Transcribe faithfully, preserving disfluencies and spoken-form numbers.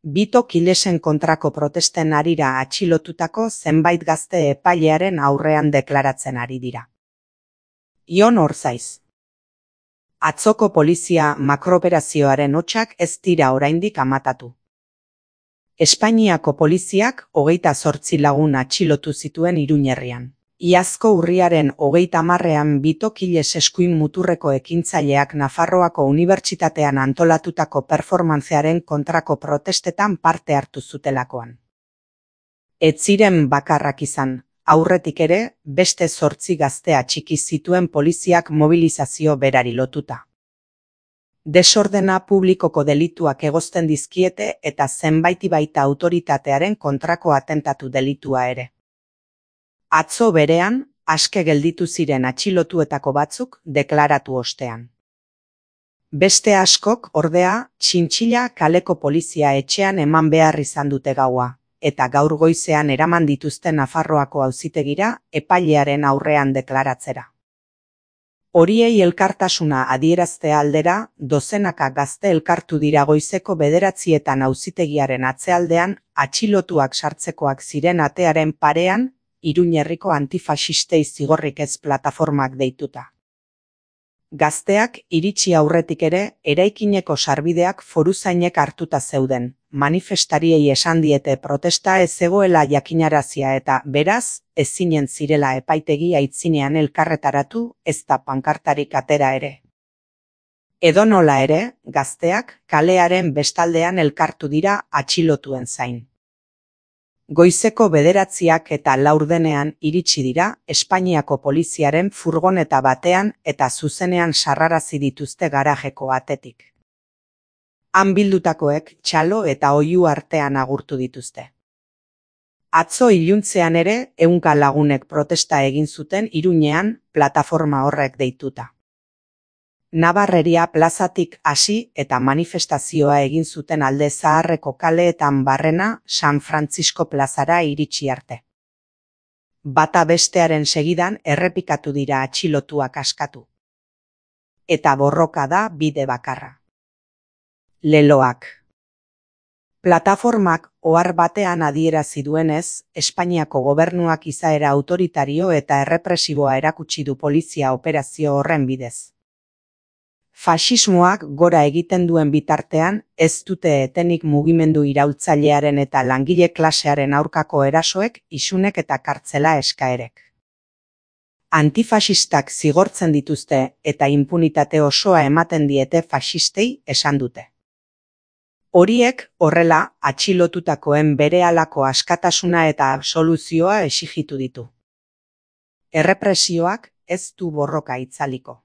Bito Kilesen kontrako protesten harira atxilotutako zenbait gazte epailearen aurrean deklaratzen ari dira. Ion Orzaiz. Atzoko polizia makroperazioaren hotsak ez dira oraindik amatatu. Espainiako poliziak hogeita zortzi lagun atxilotu zituen Iruñerrian. Iazko urriaren hogeita hamarrean Bito Kiles eskuin muturreko ekintzaileak Nafarroako Unibertsitatean antolatutako performantzearen kontrako protestetan parte hartu zutelakoan. Ez ziren bakarrak izan, aurretik ere, beste zortzi gazte atxiki zituen poliziak mobilizazio berari lotuta. Desordena publikoko delituak egozten dizkiete eta zenbaiti baita autoritatearen kontrako atentatu delitua ere. Atzo berean, aske gelditu ziren atxilotuetako batzuk deklaratu ostean. Beste askok, ordea, txintxila kaleko polizia etxean eman behar izan dute gaua, eta gaur goizean eraman dituzte Nafarroako auzitegira epailearen aurrean deklaratzera. Horiei elkartasuna adieraztea aldera, dozenaka gazte elkartu dira goizeko bederatzietan auzitegiaren atzealdean, atxilotuak sartzekoak ziren atearen parean, Iruñerriko antifaxistei zigorrik ez plataformak deituta. Gazteak iritsi aurretik ere, eraikineko sarbideak foruzainek hartuta zeuden, manifestariei esan diete protesta ez zegoela jakinarazia eta, beraz, ezinen zirela epaitegi aitzinean elkarretaratu, ez da pankartarik atera ere. Edonola ere, gazteak kalearen bestaldean elkartu dira atxilotuen zain. Goizeko bederatziak eta laurdenean iritsi dira Espainiako poliziaren furgoneta batean eta zuzenean sarrarazi dituzte garajeko atetik. Han bildutakoek txalo eta oihu artean agurtu dituzte. Atzo iluntzean ere ehunka lagunek protesta egin zuten Iruñean plataforma horrek deituta. Nabarreria plazatik hasi eta manifestazioa egin zuten Alde Zaharreko kaleetan barrena San Francisco plazara iritsi arte. Bata bestearen segidan errepikatu dira atxilotuak askatu. Eta borroka da bide bakarra. Leloak. Plataformak ohar batean adierazi duenez, Espainiako gobernuak izaera autoritario eta errepresiboa erakutsi du polizia operazio horren bidez. Faxismoak gora egiten duen bitartean, ez dute etenik mugimendu iraultzailearen eta langile klasearen aurkako erasoek, isunek eta kartzela eskaerek. Antifaxistak zigortzen dituzte eta inpunitate osoa ematen diete faxistei esan dute. Horiek, horrela, atxilotutakoen berehalako askatasuna eta absoluzioa exigitu ditu. Errepresioak ez du borroka itzaliko.